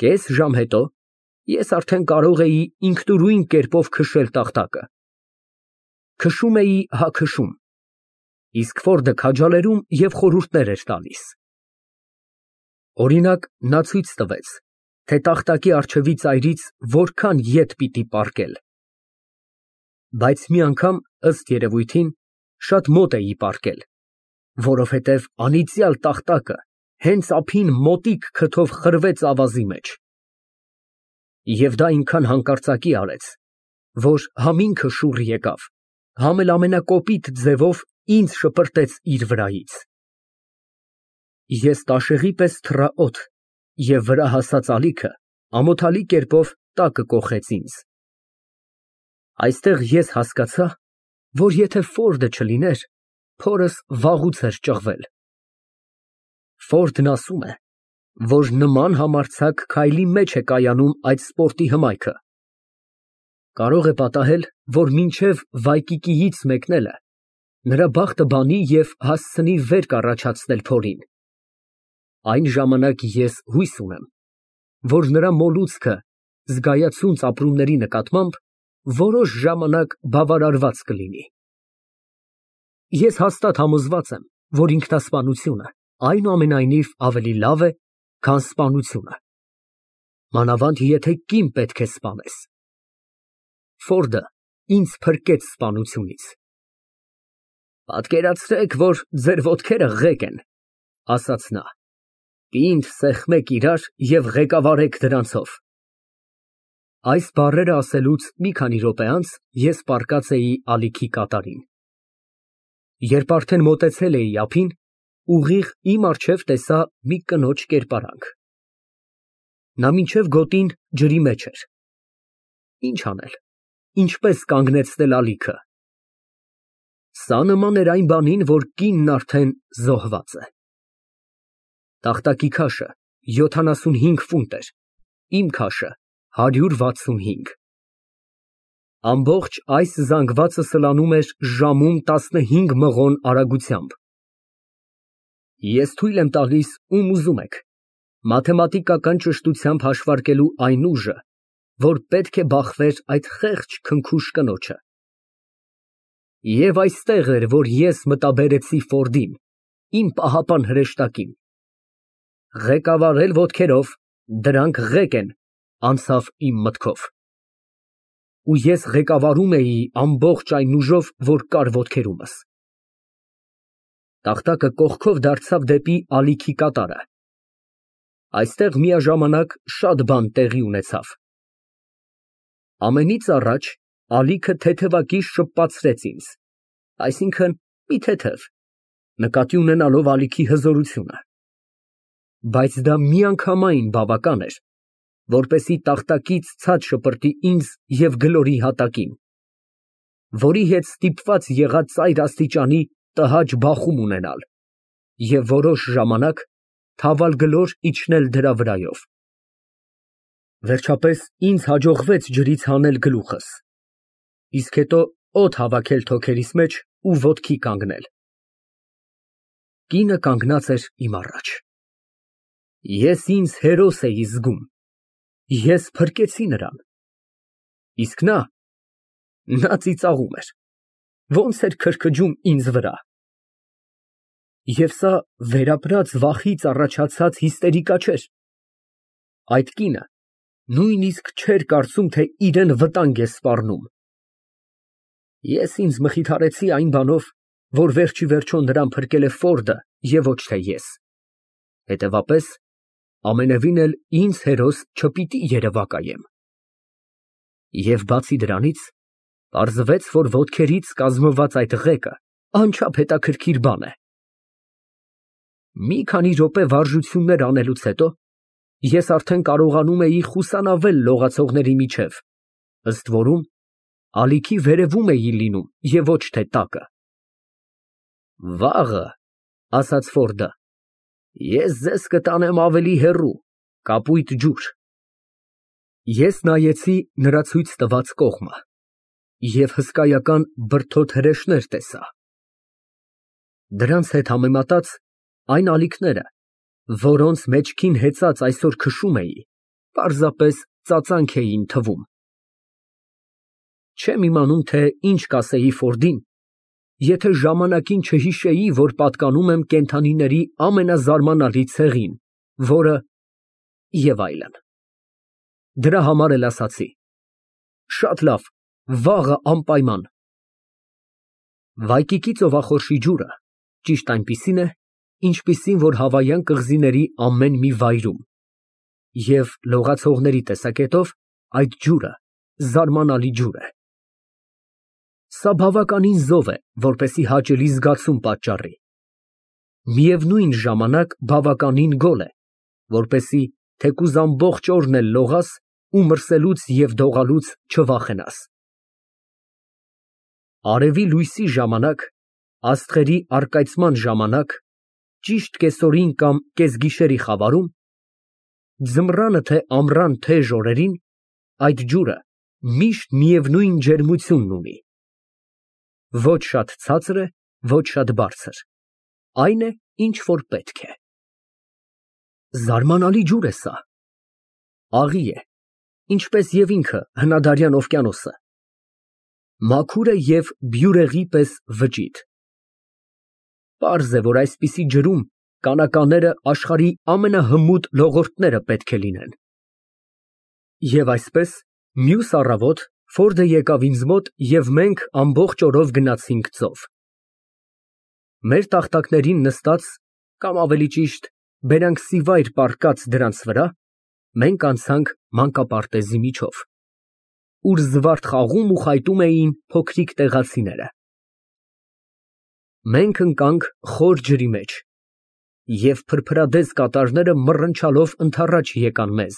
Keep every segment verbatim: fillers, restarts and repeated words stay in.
Կես ժամ հետո ես արդեն կարող էի ինքնուրույն կերպով քշել տախտակը։ Քշում էի հա քշում, իսկ Ֆորդը քաջալերում և խորհուրդներ էր տալիս։ Օրինակ, նա ցույց տվեց, թե տախտակի առջևի ծայրից որքան ետ պիտի պառկել։ Բայց մի անգամ, ըստ երևույթին, շատ մոտ էի պառկել, որովհետև անիծյալ տախտակը հենց ափին մոտիկ քթով խրվեց ավազի մեջ։ Եվ դա այնքան հանկարծակի արեց, որ համ ինքը շուռ եկավ, համ էլ ամենակոպիտ ձևով ինձ շպրտեց իր վրայից։ Ես տաշեղի պես թռա օդ, և վրա հասած ալիքը ամոթալի կերպով տակը կոխեց ինձ։ Այստեղ ես հասկացա, որ եթե Ֆորդը չլիներ, փորս վաղուց էր ճղվել։ Ֆորդն ասում է, որ նման համարձակ քայլի մեջ է կայանում այդ սպորտի հմայքը։ Կարող է պատահել, որ մինչև վայկիկիից մեկնելը նրա բախտը բանի և հասցնի վերք առաջացնել փորին։ Այն ժամանակ ես հույս ունեմ, որ նրա մոլուցքը զգայացունց ապրումների նկատմամբ որոշ ժամանակ բավարարված կլինի։ Ես հաստատ համոզված եմ, որ ինքնասպանությունը այնուամենայնիվ ավելի լավ է, քան սպանությունը, մանավանդ եթե կին պետք է սպանես։ Ֆորդը ինձ փրկեց սպանությունից։ Պատկերացրեք, որ ձեր ոտքերը ղեկ են, ասաց նա, պինդ սեղմեք իրար և ղեկավարեք դրանցով։ Այս բառերը ասելուց մի քանի րոպե անց ես պառկած էի ալիքի կատարին։ Երբ արդեն մոտեցել էի ափին, ուղիղ իմ առջև տեսա մի կնոջ կերպարանք։ Նա մինչև գոտին ջրի մեջ էր։ Ինչ անել, ինչպես կանգնեցնել ալիքը։ Սա նման էր այն բանին, որ կինն արդեն զոհված է։ Տախտակի քաշը յոթանասունհինգ ֆունտ էր, իմ քաշը հարյուր վաթսունհինգ։ Ամբողջ այս զանգվածը սլանում էր ժամում տասնհինգ մղոն արագությամբ։ Ես թույլ եմ տալիս, ում ուզում եք, մաթեմատիկական ճշտությամբ հաշվարկելու այն ուժը, որ պետք է բախվեր այդ խեղճ քնքուշ կնոջը։ Եվ այստեղ էր, որ ես մտաբերեցի Ֆորդին, իմ պահապան հրեշտակին։ Ղեկավարել ոտքերով, դրանք ղեկ են, անցավ իմ մտքով։ Ու ես ղեկավարում էի ամբողջ այն ուժով, որ կար ոտքերումս։ Տախտակը կողքով դարձավ դեպի ալիքի կատարը։ Այստեղ միաժամանակ շատ բան տեղի ունեցավ։ Ամենից առաջ ալիքը թեթևակի շպացրեց ինձ, այսինքն՝ մի թեթև, նկատի ունենալով ալիքի հզորությունը։ Բայց դա միանգամայն բավական էր, որպեսզի տախտակից ցած շպրտի ինձ և գլորի հատակին, որի հետ ստիպված եղա ծայր աստիճանի տհաճ բախում ունենալ և որոշ ժամանակ թավալ գլոր իջնել դրա վրայով։ Վերջապես ինձ հաջողվեց ջրից հանել գլուխս, իսկ հետո օդ հավաքել թոքերիս մեջ ու ոտքի կանգնել։ Կինը կանգնած էր իմ առաջ։ Ես ինձ հերոս էի զգում, ես փրկեցի նրան, իսկ նա… նա ծիծաղում էր, ոնց էր քրքջում ինձ վրա։ Եվ սա վերապրած վախից առաջացած հիստերիկա չէր։ Այդ կինը նույնիսկ չէր կարծում, թե իրան վտանգ է սպառնում։ Ես ինձ մխիթարեցի այն բանով, որ վերջիվերջո նրան փրկել է Ֆորդը և ոչ թե ես, հետևապես, ամենևին էլ ինձ հերոս չպիտի երևակայեմ։ Եվ բացի դրանից, պարզվեց, որ ոտքերից կազմված այդ ղեկը անչափ հետաքրքիր բան է։ Մի քանի րոպե վարժություններ անելուց հետո ես արդեն կարողանում էի խուսանավել լողացողների միջև, ըստ որում, ալիքի վերևում էի լինում և ոչ թե տակը։ Վաղը, ասաց Ֆորդը, ես ձեզ կտանեմ ավելի հեռու, կապույտ ջուր։ Ես նայեցի նրա ցույց տված կողմը և հսկայական բրդոտ հրեշներ տեսա։ Դրանց հետ համեմատած, այն ալիքները, որոնց մեջքին հեծած այսօր քշում էի, պարզապես ծածանք էին թվում։ Չեմ իմանում, թե ինչ կասեի Ֆորդին, եթե ժամանակին չհիշեի, որ պատկանում եմ կենդանիների ամենազարմանալի ցեղին, որը… և այլն։ Դրա համար էլ ասացի. շատ լավ, վաղը անպայման։ Վայկիկի ծովախորշի ջուրը ճիշտ այնպիսին է, ինչպիսին որ հավայան կղզիների ամեն մի վայրում, և լողացողների տեսակետով այդ ջուրը զարմանալի ջուր է։ Սա բավականին զով է, որպեսզի հաճելի զգացում պատճառի, միևնույն ժամանակ բավականին գոլ է, որպեսզի թեկուզ ամբողջ օրն էլ լողաս ու մրսելուց և դողալուց չվախենաս։ Արևի լույսի ժամանակ, աստղերի առկայծման ժամանակ, ճիշտ կեսօրին կամ կեսգիշերի խավարում, ձմռանը թե ամռան թեժ օրերին, այդ ջուրը միշտ միևնույն ջերմությունն ունի, ոչ շատ ցածր է, ոչ շատ բարձր, այն է, ինչ որ պետք է։ Զարմանալի ջուր է սա, աղի է, ինչպես և ինքը հնադարյան օվկիանոսը, մաքուր է և բյուրեղի պես վճիտ։ Պարզ է, որ այսպիսի ջրում կանականները աշխարհի ամենահմուտ լողորդները պետք է լինեն։ Եվ այսպես, մյուս առավոտ Ֆորդը եկավ ինձ մոտ և մենք ամբողջ օրով գնացինք ծով։ Մեր տախտակներին նստած, կամ ավելի ճիշտ, բերանքսիվայր պառկած դրանց վրա, մենք անցանք մանկապարտեզի միջով, ուր զվարթ խաղում ու խայտում էին փոքրիկ տեղացիները։ Մենք ընկանք խոր ջրի մեջ, և փրփրադես կատարները մռնչալով ընդառաջ եկան մեզ։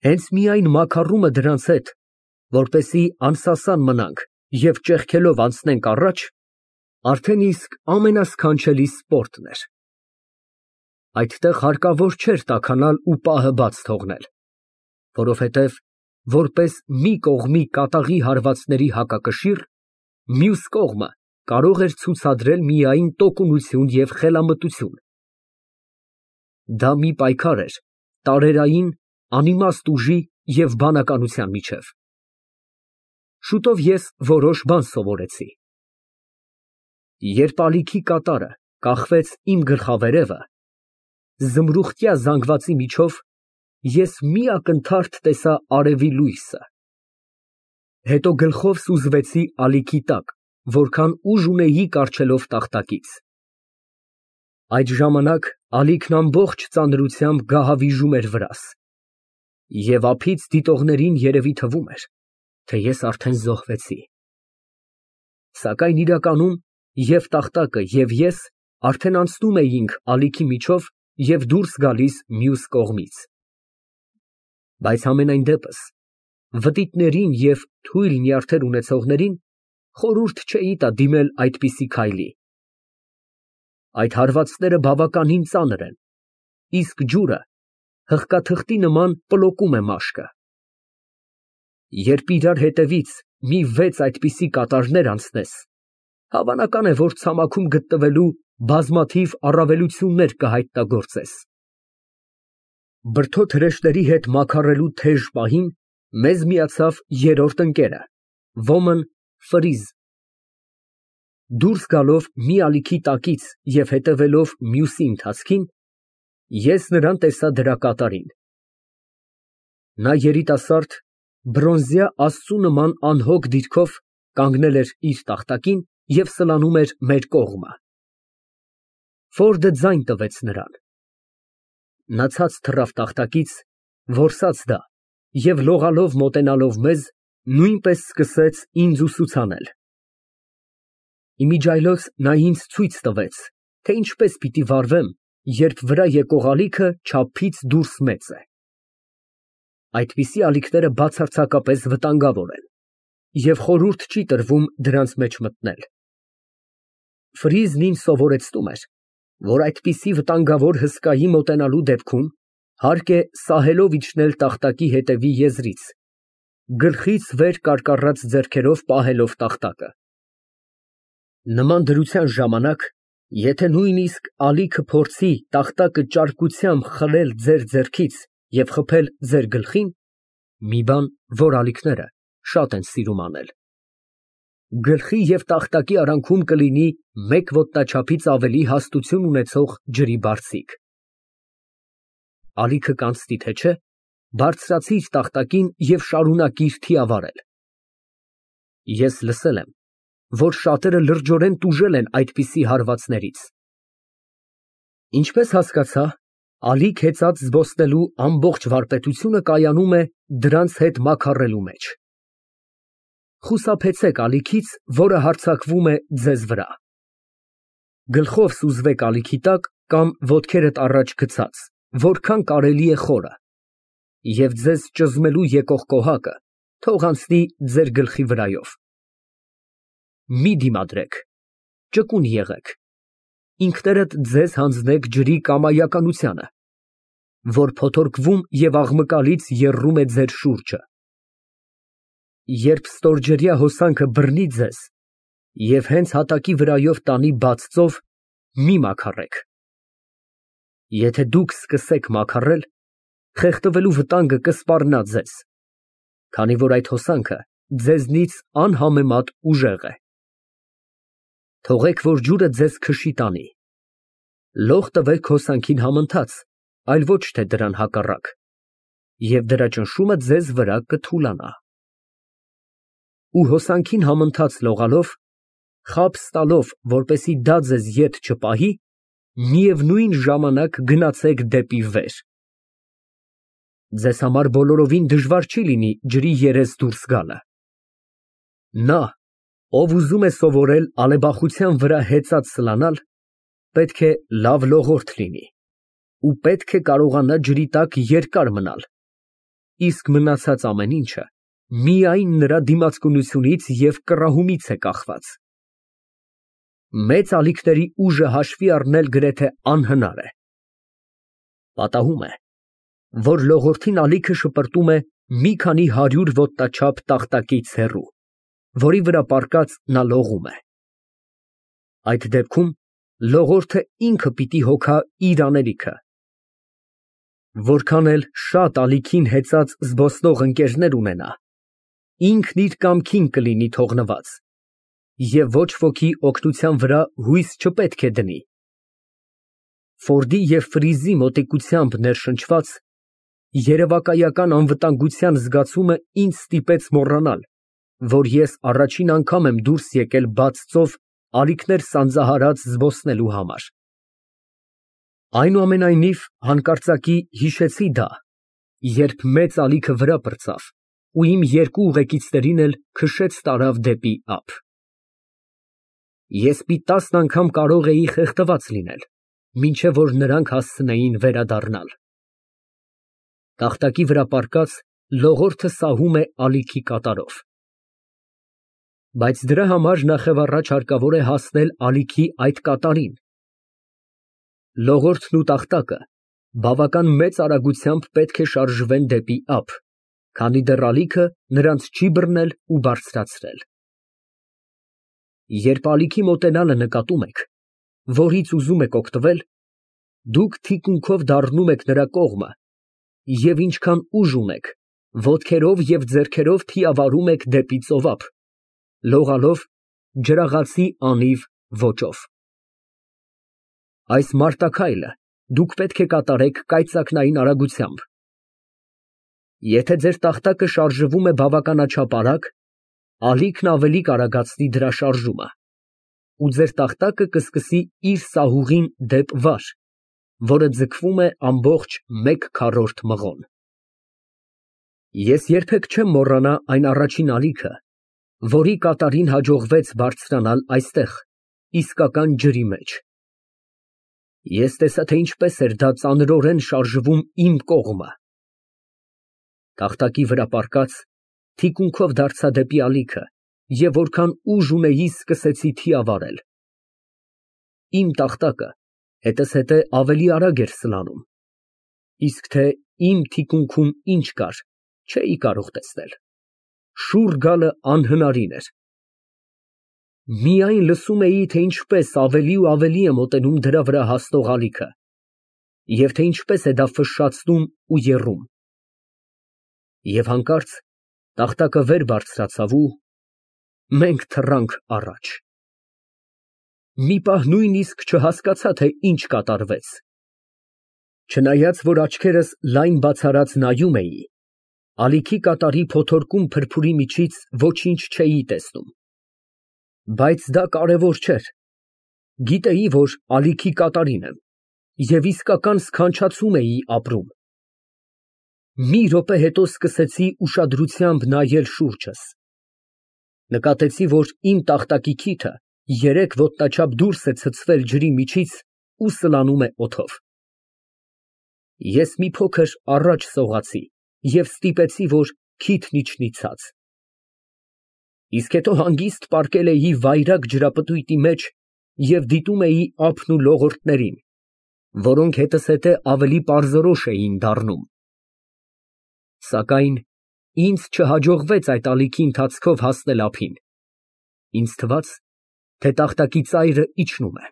Հենց միայն մաքարումը դրանց հետ, որպեսզի անսասան մնանք և ճեղքելով անցնենք առաջ, արդեն իսկ ամենասքանչելի սպորտն էր։ Այդտեղ հարկավոր չէր տաքանալ ու պահը բաց թողնել, որովհետև, որպես մի կողմի կատաղի հարվածների հակակշիռ, մյուս կողմը կարող էր ցուցադրել միայն տոկունություն և խելամտություն։ Դա մի պայքար էր տարերային, անիմաստ ուժի և բանականության միջև։ Շուտով ես որոշ բան սովորեցի։ Երբ ալիքի կատարը կախվեց իմ գլխավերևը, զմրուխտյա զանգվածի միջով ես մի ակնթարթ տեսա արևի լույսը, հետո գլխով սուզվեցի ալիքի տակ, որքան ուժ ունեի կառչելով տախտակից։ Այդ ժամանակ ալիքն ամբողջ ծանրությամբ գահավիժում էր վրաս, և ափից դիտողներին երևի թվում էր, թե ես արդեն զոհվեցի։ Սակայն իրականում և տախտակը, և ես արդեն անցնում էինք ալիքի միջով և դուրս գալիս մյուս կողմից։ Բայց համենայն դեպս, վտիտներին և թույլ նյարդեր ունեցողներին խորհուրդ չէի տա դիմել այդպիսի քայլի։ Այդ հարվածները բավականին ծանր են, իսկ ջուրը հղկաթղթի նման պլոկում է մաշկը։ Երբ իրար հետևից մի վեց այդպիսի կատարներ անցնես, հավանական է, որ ցամաքում գտնվելու բազմաթիվ առավելություններ կհայտնագործես։ Բրդոտ հրեշտների հետ մաքարելու թեժ պահին մեզ միացավ երրորդ ընկերը, ոմն Ֆրիզ։ Դուրս գալով մի ալիքի տակից և հետևելով մյուսի ընթացքին, ես նրան տեսա դրա կատարին։ Նա երիտասարդ, բրոնզյա աստծու նման անհոգ դիրքով կանգնել էր իր տախտակին և սլանում էր մեր կողմը։ Ֆորդը ձայն տվեց նրան։ Նա ցած թռավ տախտակից, որսաց դա և լողալով մոտենալով մեզ, նույնպես սկսեց ինձ ուսուցանել։ Իմիջիայլոց նա ինձ ցույց տվեց, թե ինչպես պիտի վարվեմ, երբ վրա եկող ալիքը չափից դուրս մեծ է։ Այդպիսի ալիքները բացարձակապես վտանգավոր են, և խորհուրդ չի տրվում դրանց մեջ մտնել։ Ֆրիզն ինձ սովորեցնում էր, որ այդպիսի վտանգավոր հսկայի մոտենալու դեպքում հարկ է սահելով իջնել տախտակի հետևի եզրից, գլխից վեր կարկառած ձեռքերով պահելով տախտակը։ Նման դրության ժամանակ, եթե նույնիսկ ալիքը փորձի տախտակը ճարպկությամբ խլել ձեր ձեռքից և խփել ձեր գլխին մի բան, որ ալիքները շատ են սիրում անել։ Գլխի և տախտակի արանքում կլինի մեկ ոտնաչափից ավելի հաստություն ունեցող ջրի բարձիկ։ Ալիքը կանցնի թե չէ, բարձրացիր տախտակին և շարունակիր թիավարել։ Ես լսել եմ, որ շատերը լրջորեն տուժել են այդպիսի հարվածներից։ Ինչպես հասկացա, ալիք հեծած զբոսնելու ամբողջ վարպետությունը կայանում է դրանց հետ մաքարելու մեջ։ Խուսափեցեք ալիքից, որը հարձակվում է ձեզ վրա։ Գլխով սուզվեք ալիքի տակ կամ ոտքերդ առաջ գցած, որքան կարելի է խորը, և ձեզ ճզմելու եկող կոհակը թող անցնի ձեր գլխի վրայով։ Մի դիմադրեք, ճկուն եղեք, ինքներդ ձեզ հանձնեք ջրի կամայականությանը, որ փոթորկվում և աղմկալից եռում է ձեր շուրջը։ Երբ ստորջրյա հոսանքը բռնի ձեզ և հենց հատակի վրայով տանի բաց ծով, մի մաքարեք։ Եթե դուք սկսեք մաքարել, խեղդվելու վտանգը կսպառնա ձեզ, քանի որ այդ հոսանքը ձեզնից անհամեմատ ուժեղ է։ Թողեք, որ ջուրը ձեզ քշի տանի։ Լող տվեք հոսանքին համընթաց, այլ ոչ թե դրան հակառակ, և դրա ճնշումը ձեզ վրա կթուլանա։ Ու հոսանքին համընթաց լողալով, խաբս տալով, որպեսզի դա ձեզ ետ չպահի, միևնույն ժամանակ գնացեք դեպի վեր։ Ձեզ համար բոլորովին դժվար չի լինի ջրի երես դուրս գալը։ Նա, ով ուզում է սովորել ալեբախության վրա հեծած սլանալ, պետք է լավ լողորդ լինի ու պետք է կարողանա ջրի տակ երկար մնալ, իսկ մնացած ամեն ինչը միայն նրա դիմացկունությունից և կռահումից է կախված։ Մեծ ալիքների ուժը հաշվի առնել գրեթե անհնար է։ Պատահում է, որ լողորդին ալիքը շպրտում է մի քանի հարյուր ոտնաչափ տախտակից հեռու, որի վրա պառկած նա լողում է։ Այդ դեպքում լողորդը ինքը պիտի հոգա իր անելիքը։ Որքան էլ շատ ալիքին հեծած զբոսնող ընկերներ ունենա, ինքն իր կամքին կլինի թողնված, և ոչ ոքի օգնության վրա հույս չպետք է դնի։ Ֆորդի և Ֆրիզի մոտիկությամբ ներշնչված, երևակայական անվտանգության զգացումը ինձ ստիպեց մոռանալ, որ ես առաջին անգամ եմ դուրս եկել բաց ծով ալիքներ սանձահարած զբոսնելու համար։ Այնուամենայնիվ, հանկարծակի հիշեցի դա, երբ մեծ ալիքը վրա պրծավ ու իմ երկու ուղեկիցներին էլ քշեց տարավ դեպի ափ։ Ես մի տասն անգամ կարող էի խեղդված լինել, մինչև որ նրանք հասցնեին վերադառնալ։ Տախտակի վրա պառկած լողորդը սահում է ալիքի կատարով։ Բայց դրա համար նախևառաջ հարկավոր է հասնել ալիքի այդ կատարին։ Լողորդն ու տախտակը բավական մեծ արագությամբ պետք է շարժվեն դեպի ափ, քանի դեռ ալիքը նրանց չի բռնել ու բարձրացրել։ Երբ ալիքի մոտենալը նկատում եք, որից ուզում եք օգտվել, դուք թիկունքով դառնում եք նրա կողմը և ինչքան ուժ ունեք, ոտքերով և ձեռքերով թիավարում եք դեպի ծովափ, լողալով ջրաղացի անիվ ոճով։ Այս մարտաքայլը դուք պետք է կատարեք կայծակնային արագությամբ։ Եթե ձեր տախտակը շարժվում է բավականաչափ արագ, ալիքն ավելի կարագացնի դրա շարժումը, ու ձեր տախտակը կսկսի իր սահուղին դեպ վար, որը ձգվում է ամբողջ մեկ քառորդ մղոն։ Ես երբեք չեմ մոռանա այն առաջին ալիքը, որի կատարին հաջողվեց բարձրանալ այստեղ, իսկական ջրի մեջ։ Ես տեսա, թե ինչպես էր դա ծանրորեն շարժվում իմ կողմը։ Տախտակի վրա պառկած, թիկունքով դարձա դեպի ալիքը և որքան ուժ ունեի, սկսեցի թիավարել։ Իմ տախտակը հետզհետե ավելի արագ էր սլանում, իսկ թե իմ թիկունքում ինչ կար, չէի կարող տեսնել։ Շուռ գալը անհնարին էր։ Միայն լսում էի, թե ինչպես ավելի ու ավելի է մոտենում դրա վրա հասնող ալիքը, և թե ինչպես է դա ֆշշացնում ու եռում։ Եվ հանկարծ տախտակը վեր բարձրացավ ու մենք թռանք առաջ։ Մի պահ նույնիսկ չհասկացա, թե ինչ կատարվեց։ Չնայած որ աչքերս լայն բացարած նայում էի, ալիքի կատարի փոթորկում փրփուրի միջից ոչինչ չէի տեսնում։ Բայց դա կարևոր չէր։ Գիտեի, որ ալիքի կատարին եմ և իսկական սքանչացում էի ապրում։ Մի րոպե հետո սկսեցի ուշադրությամբ նայել շուրջս։ Նկատեցի, որ իմ տախտակի քիթը երեք ոտնաչափ դուրս է ցցվել ջրի միջից ու սլանում է օդով։ Ես մի փոքր առաջ սողացի և ստիպեցի, որ քիթն իջնի ցած։ Իսկ հետո հանգիստ պառկել էի վայրագ ջրապտույտի մեջ և դիտում էի ափն ու լողորդներին, որոնք հետզհետե ավելի պարզորոշ էին դառնում։ Սակայն ինձ չհաջողվեց այդ ալիքի ընթացքով հասնել ափին։ Ինձ թվաց, թե տախտակի ծայրը իջնում է։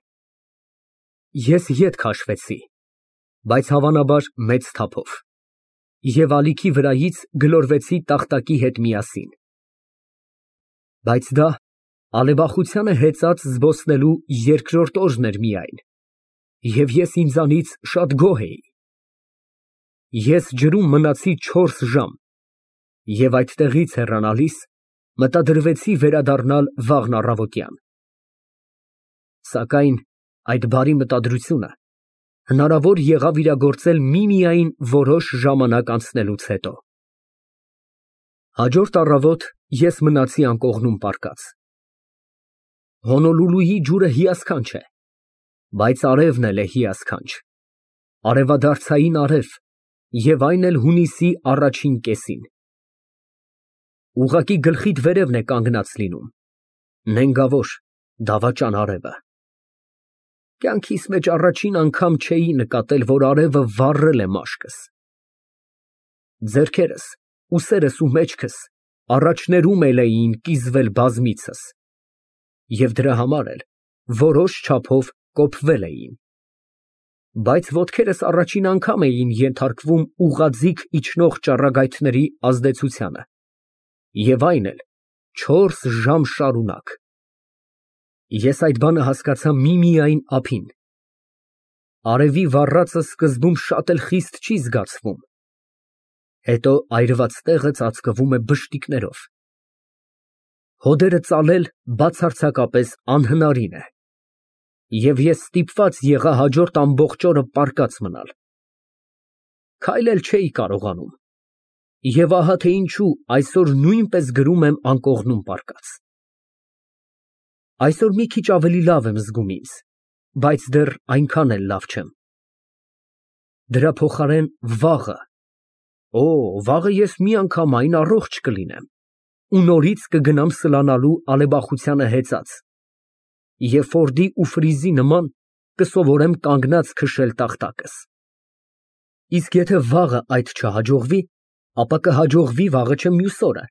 Ես ետ քաշվեցի, բայց հավանաբար մեծ թափով, և ալիքի վրայից գլորվեցի տախտակի հետ միասին։ Բայց դա ալեբախությանը հեծած զբոսնելու երկրորդ օրն էր միայն, և ես ինձանից շատ գոհ էի։ Ես ջրում մնացի չորս ժամ և այդտեղից հեռանալիս մտադրվեցի վերադառնալ վաղն առավոտյան։ Սակայն այդ բարի մտադրությունը հնարավոր եղավ իրագործել միմիայն որոշ ժամանակ անցնելուց հետո։ Հաջորդ առավոտ ես մնացի անկողնում պառկած։ Հոնոլուլուի ջուրը հիասքանչ է, բայց արևն էլ է հիասքանչ, արևադարձային արև, և այն էլ հունիսի առաջին կեսին։ Ուղղակի գլխիդ վերևն է կանգնած լինում, նենգավոր, դավաճան արևը։ Կյանքիս մեջ առաջին անգամ չէի նկատել, որ արևը վառել է մաշկս։ Ձեռքերս, ուսերս ու մեջքս առաջներում էլ էին կիզվել բազմիցս, և դրա համար էլ որոշ չափով կոփվել էին։ Բայց ոտքերս առաջին անգամ էին ենթարկվում ուղղաձիգ իջնող ճառագայթների ազդեցությանը, և այն էլ չորս ժամ շարունակ։ Ես այդ բանը հասկացա միմիայն ափին։ Արևի վառածը սկզբում շատ էլ խիստ չի զգացվում, հետո այրված տեղը ծածկվում է բշտիկներով։ Հոդերը ծալել բացարձակապես անհնարին է, և ես ստիպված եղա հաջորդ ամբողջ օրը պառկած մնալ։ Քայլել չէի կարողանում, և ահա թե ինչու այսօր նույնպես գրում եմ անկողնում պառկած։ Այսօր մի քիչ ավելի լավ եմ զգում ինձ, բայց դեռ այնքան էլ լավ չեմ։ Դրա փոխարեն վաղը… Օ, վաղը ես միանգամայն առողջ կլինեմ ու նորից կգնամ սլանալու ալեբախությանը հեծած և Ֆորդի ու Ֆրիզի նման կսովորեմ կանգնած քշել տախտակս։ Իսկ եթե վաղը այդ չհաջողվի, ապա կհաջողվի վաղը չէ մյուս օրը,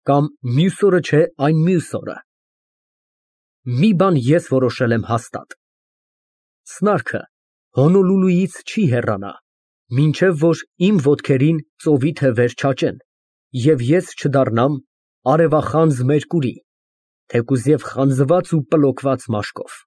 կամ մյուս օրը չէ այն մյուս օրը։ Մի բան ես որոշել եմ հաստատ. սնարքը Հոնոլուլուից չի հեռանա, մինչև որ իմ ոտքերին ծովի թևեր չաճեն, և ես չդառնամ արևախանձ Մերկուրի, թեկուզ և խանձված ու պլոկված մաշկով։